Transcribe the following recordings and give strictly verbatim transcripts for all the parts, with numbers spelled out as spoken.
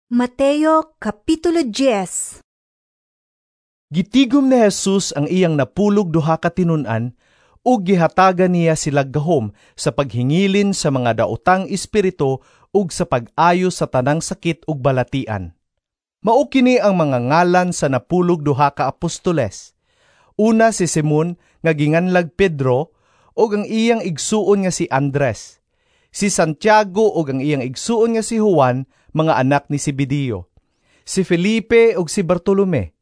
Mateo Kapitulo diyes. Gitigom ni Jesus ang iyang napulog duha ka tinun-an ug gihatagan niya sila gahom sa paghingilin sa mga daotang espiritu ug sa pag-ayo sa tanang sakit ug balatian. Mao kini ang mga ngalan sa napulog duha ka apostoles. Una si Simon nga ginganlag Pedro ug ang iyang igsuon nga si Andres. Si Santiago ug ang iyang igsuon nga si Juan, mga anak ni Zebedeo. Si Felipe ug si Bartolome.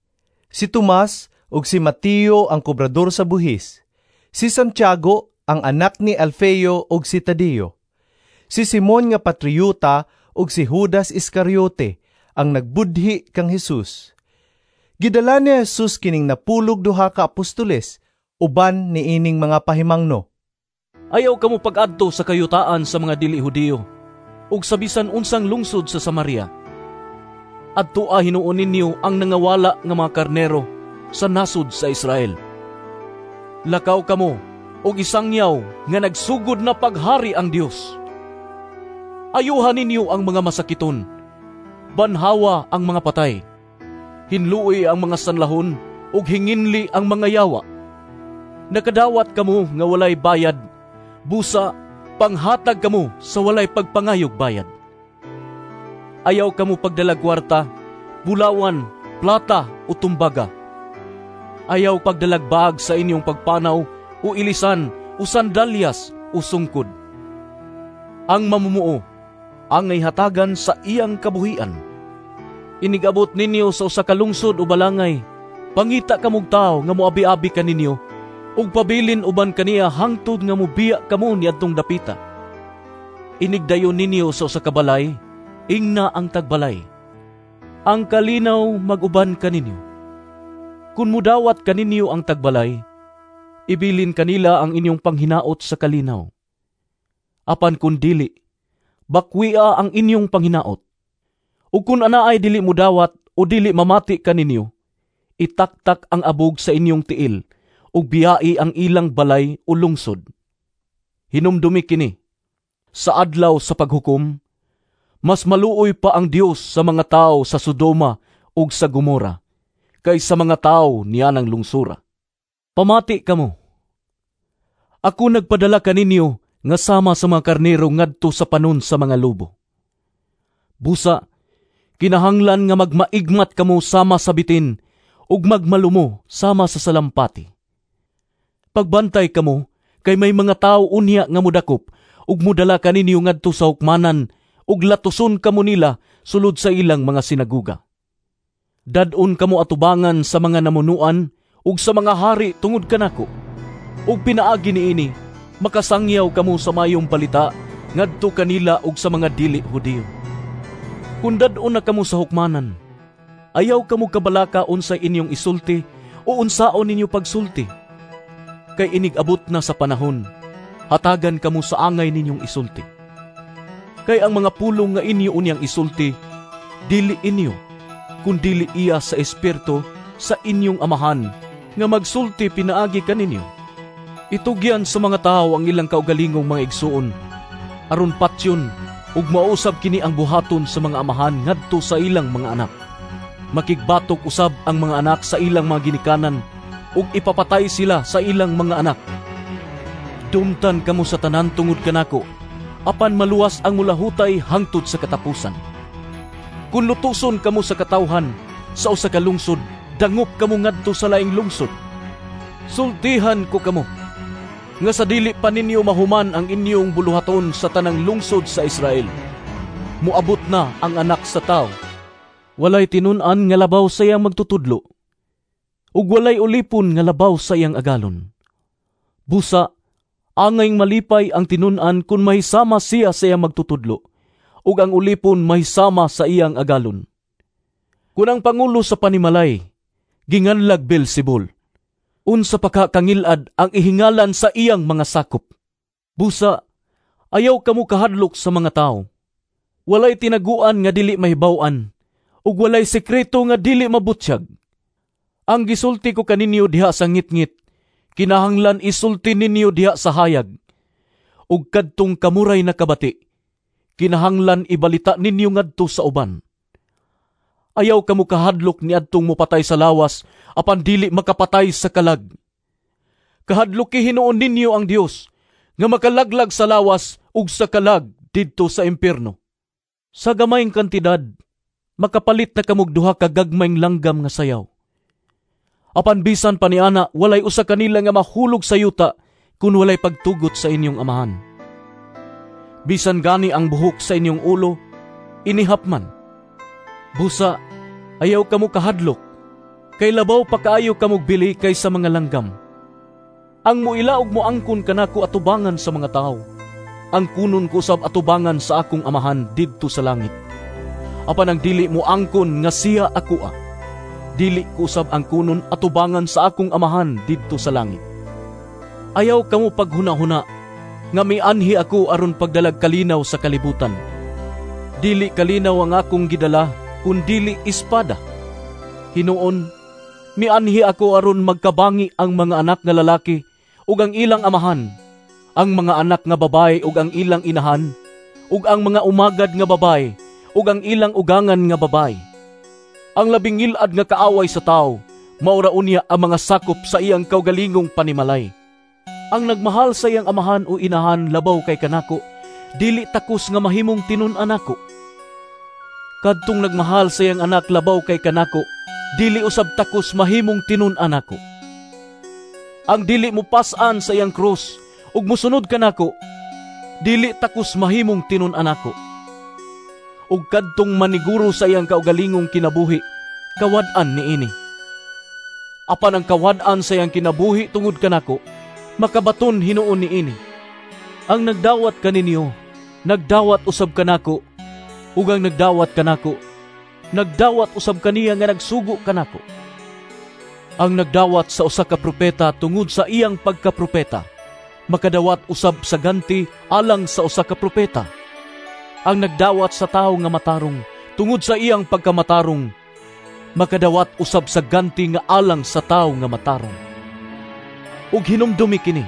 Si Tomas ug si Mateo ang kobrador sa buhis. Si Santiago ang anak ni Alfeo ug si Tadeo. Si Simon nga patriota ug si Judas Iscariote ang nagbudhi kang Jesus. Gidala ni Jesus kining napulog duha ka apostoles uban niining mga pahimangno. Ayaw kamo pag-adto sa kayutaan sa mga dili Hudiyo ug sa bisan unsang lungsod sa Samaria. Adtoa hinuon ninyo ang nangawala nga mga karnero sa nasod sa Israel. Lakaw kamo og isangyaw nga nagsugod na paghari ang Dios. Ayuhan ninyo ang mga masakiton, banhawa ang mga patay, hinlui ang mga sanlahon ug hinginli ang mga yawa. Nakadawat kamo nga walay bayad, busa panghatag kamo sa walay pagpangayog bayad. Ayaw kamo pagdalag kwarta, bulawan, plata o tumbaga. Ayaw pagdalag bag sa inyong pagpanaw o ilisan o sandalyas o sungkod. Ang mamumuo angay hatagan sa iyang kabuhian. Inigabot ninyo sa usa ka lungsod o balangay, pangita kamog tawo nga moabi-abi kaninyo ug pabilin uban kaniya hangtod nga mobiya kamo niadtong dapita. Inigdayon ninyo sa usa ka balay, ingna ang tagbalay, "Ang kalinaw mag-uban kaninyo." Kun mudawat kaninyo ang tagbalay, ibilin kanila ang inyong panghinaot sa kalinaw. Apan kun dili, bakwia ang inyong panghinaot. Ug kun anaay dili mudawat o dili mamati kaninyo, itaktak ang abog sa inyong tiil ug biyai ang ilang balay o lungsod. Hinumdumi kini, sa adlaw sa paghukom, mas maluoy pa ang Dios sa mga tawo sa Sodoma ug sa Gomora kaysa mga tawo nianang lungsura. Pamati kamo. Ako nagpadala kaninyo nga sama sa mga karnero ngadto sa panon sa mga lobo. Busa, kinahanglan nga magmaigmat kamo sama sa bitin ug magmalumo sama sa salampati. Pagbantay kamo kay may mga tawo unya nga modakop ug modala kaninyo ngadto sa hukmanan ug latuson kamo nila sulod sa ilang mga sinaguga. Dad-on kamo atubangan sa mga namunuan ug sa mga hari tungod kanako. Ug pinaagi niini makasangyaw kamo sa mayong balita ngadto kanila ug sa mga dili Hudiyo. Kun dad-on na kamo sa hukmanan, ayaw kamo kabalaka unsay inyong isulti o unsaon ninyo pagsulti. Kay inig-abot na sa panahon, hatagan kamo sa angay ninyong isulti. Kay ang mga pulong nga inyo unyang isulti, dili inyo, kun dili iya sa Espiritu sa inyong amahan nga magsulti pinaagi kaninyo. Itugyan sa mga tawo ang ilang kaugalingong mga igsuon, aron patyon ug mausab kini ang buhaton sa mga amahan ngadto sa ilang mga anak. Makigbatok usab ang mga anak sa ilang mga ginikanan ug ipapatay sila sa ilang mga anak. Dumtan kamo sa tanan tungod kanako, apan maluwas ang mulahutay hangtod sa katapusan. Kun lutuson kamo sa katawhan sa usa ka lungsod, dangop kamo ngadto sa laing lungsod. Sultihan ko kamo nga sa dili pa ninyo mahuman ang inyong buluhaton sa tanang lungsod sa Israel, moabot na ang Anak sa Tawo. Walay tinun-an nga labaw sa iyang magtutudlo, ug walay ulipon nga labaw sa iyang agalon. Busa, angay malipay ang tinun-an kun mahisama siya sa iyang magtutudlo, ug ang ulipon mahisama sa iyang agalon. Kun ang pangulo sa panimalay ginganlag Beelzebul, unsa pa ka kangilad ang ihingalan sa iyang mga sakop. Busa, ayaw kamo kahadlok sa mga tawo. Walay tinaguan nga dili mahibaw-an, ug walay sekreto nga dili mabutyag. Ang gisulti ko kaninyo diha sa ngitngit, kinahanglan isulti ninyo diha sa hayag. Ug kadtong kamuray nakabati, kinahanglan ibalita ninyo ngadto sa uban. Ayaw kamo kahadlok niadtong mopatay sa lawas apan dili makapatay sa kalag. Kahadloki hinuon ninyo ang Dios nga makalaglag sa lawas ug sa kalag didto sa impierno. Sa gamayng kantidad, makapalit na kamog duha ka gagmayng langgam nga sayaw. Apan bisan pa niana, walay usa kanila nga mahulog sa yuta kun walay pagtugot sa inyong amahan. Bisan gani ang buhok sa inyong ulo, inihap man. Busa, ayaw kamo kahadlok, kay labaw pa kaayo kamog bili kaysa mga langgam. Ang muila og moangkon kanako atubangan sa mga tawo, angkunon ko usab atubangan sa akong Amahan didto sa langit. Apan ang dili moangkon nga siya akoa, dili ko usab angkunon atubangan sa akong Amahan didto sa langit. Ayaw kamo paghunahuna nga mianhi ako aron pagdalag kalinaw sa kalibutan. Dili kalinaw ang akong gidala, kun dili espada. Hinuon, mianhi ako aron magkabangi ang mga anak nga lalaki ug ang ilang amahan, ang mga anak nga babaye ug ang ilang inahan, ug ang mga umagad nga babaye ug ang ilang ugangan nga babaye. Ang labing ngil-ad nga kaaway sa tawo, maura unya ang mga sakop sa iyang kaugalingong panimalay. Ang nagmahal sa iyang amahan o inahan labaw kay kanako, dili takos nga mahimong tinun-an nako. Kadtong nagmahal sa iyang anak labaw kay kanako, dili usab takos mahimong tinun-an nako. Ang dili mopas-an sa iyang krus ug mosunod kanako, dili takos mahimong tinun-an nako. Ug kadtong maniguro sa iyang kaugalingong kinabuhi, kawad-an niini. Apan ang kawad-an sa iyang kinabuhi tungod kanako, makabaton hinuon niini. Ang nagdawat kaninyo, nagdawat usab kanako, ug ang nagdawat kanako, nagdawat usab kaniya nga nagsugo kanako. Ang nagdawat sa usa ka propeta tungod sa iyang pagkapropeta, makadawat usab sa ganti alang sa usa ka propeta. Ang nagdawat sa tawo nga matarong tungod sa iyang pagkamatarong, makadawat usab sa ganti nga alang sa tawo nga matarong. Ug hinumdumi kini,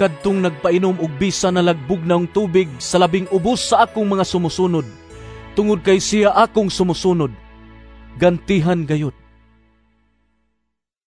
kadtong nagpainom og bisan nalagbugnaw tubig sa labing ubos sa akong mga sumusunod, tungod kay siya akong sumusunod, gantihan gayud.